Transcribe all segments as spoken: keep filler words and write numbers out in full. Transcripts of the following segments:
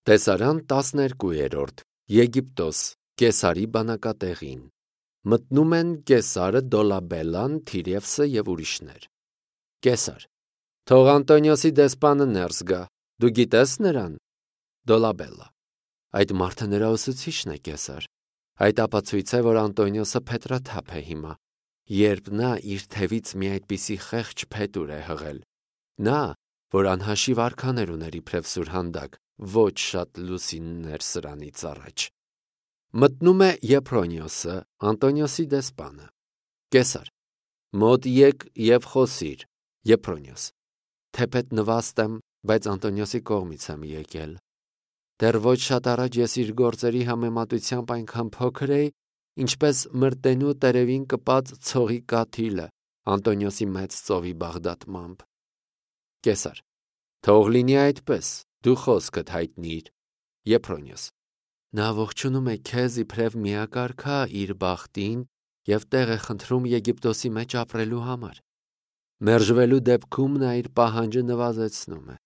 Տեսարան տասներկուերորդ Եգիպտոս Կեսարի բանակատեղին մտնում են Կեսարը, Դոլաբելլան, Թիրևսը և ուրիշներ։ Կեսար. Թող Անտոնիոսի դեսպանը ներս գա, դու գիտես նրան։ Դոլաբելլա. այդ մարդը նրա ուսուցիչն է, Կեսար։ Այդ ապացույց է, որ Անտոնիոսը փետրաթափ է հիմա, երբ նա իր թևից մի այդպիսի խեղճ փետուր է հղել։ Նա, որ անհաշիվ արքաներ ուներ իբրև սուրհանդակ, ոչ շատ լուսիններ սրանից առաջ։ Մտնում է Եփրոնիոսը, Անտոնիոսի դեսպանը։ Կեսար. մոտ եկ և խոսիր։ Եփրոնիոս. թեպետ նվաստ եմ, բայց Անտոնիոսի կողմից եմ եկել։ Դեռ ոչ շատ առաջ ես իր գործերի համեմատությամբ այնքան փոքր էի, ինչպես մրտենու տերևին կպած ցողի կաթիլը Անտոնիոսի մեծ ծովի բաղդատմամբ։ Կեսար. թող լինի այդպես, դու խոսքդ հայտնիր։ Եփրոնիոս. նա ողջունում է քեզ իբրև միակարգա իր բախտին և տեղ է խնդրում Եգիպտոսի մեջ ապրելու համար։ Մերժվելու դեպքում նա իր պահանջը նվազեցնում է։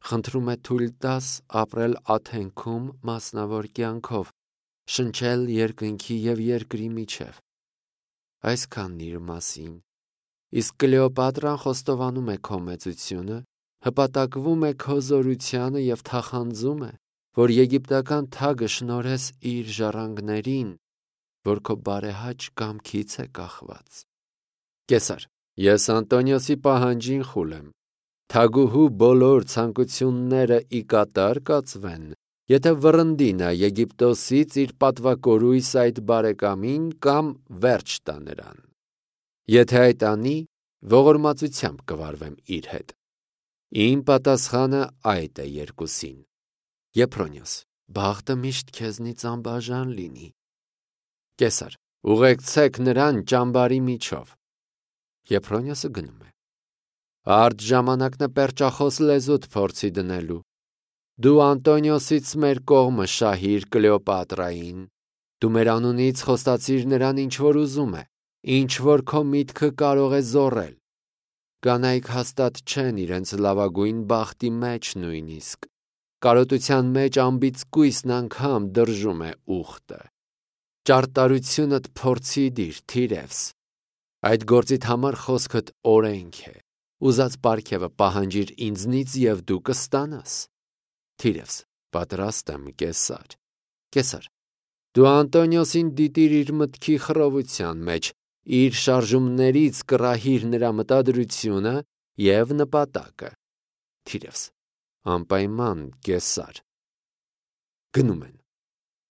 Խնդրում է թույլ տաս ապրել Աթենքում մասնավոր կյանքով, շնչել երկնքի և երկրի միջև։ Այսքանն իր մասին։ Իսկ Կլեոպատրան խոստովանում է քո մեծությունը, հպատակվում է քո զորությանը և թախանձում է, որ եգիպտական թագը շնորհես իր ժառանգներին, որ քո բարեհաճ կամքից է կախված։ Կեսար. ես Անտոնիոսի պահանջին խուլ եմ։ Թագուհու բոլոր ցանկությունները ի կատար կացվեն, եթե վռնդի նա Եգիպտոսից իր պատվակորույս այդ բարեկամին կամ վերջ տա նրան։ Եթե այդ անի, ողորմածությամբ կվարվեմ իր հետ։ Իմ պատասխանը այդ է երկուսին։ Եփրոնիոս. բախտը միշտ քեզնից անբաժան լինի։ Կեսար. ուղեկցեք նրան ճամբարի միջով։ Եփրոնիոսը գնում է։ Արդ ժամանակն է պերճախոս լեզուդ փորձի դնելու։ Դու Անտոնիոսից մեր կողմը շահիր Կլեոպատրային։ Դու մեր անունից խոստացիր նրան ինչ որ ուզում է, ինչ որ քո միտքը կարող է զոռել։ Կանայք հաստատ չեն իրենց լավագույն բախտի մեջ նույնիսկ։ Կարոտության մեջ ամբիծկույսն անգամ դրժում է ուխտը։ Ճարտարությունդ փորձի դիր, Թիրևս։ Այդ գործիդ համար խոսքդ օրենք է։ Ուզած պարգևը պահանջիր ինձնից և դու կստանաս։ Թիրևս. պատրաստ եմ, Կեսար։ Կեսար. դու Անտոնիոսին դիտիր իր մտքի խռովության մեջ, իր շարժումներից կռահիր նրա մտադրությունը և նպատակը։ Թիրևս. անպայման, Կեսար։ Գնում են։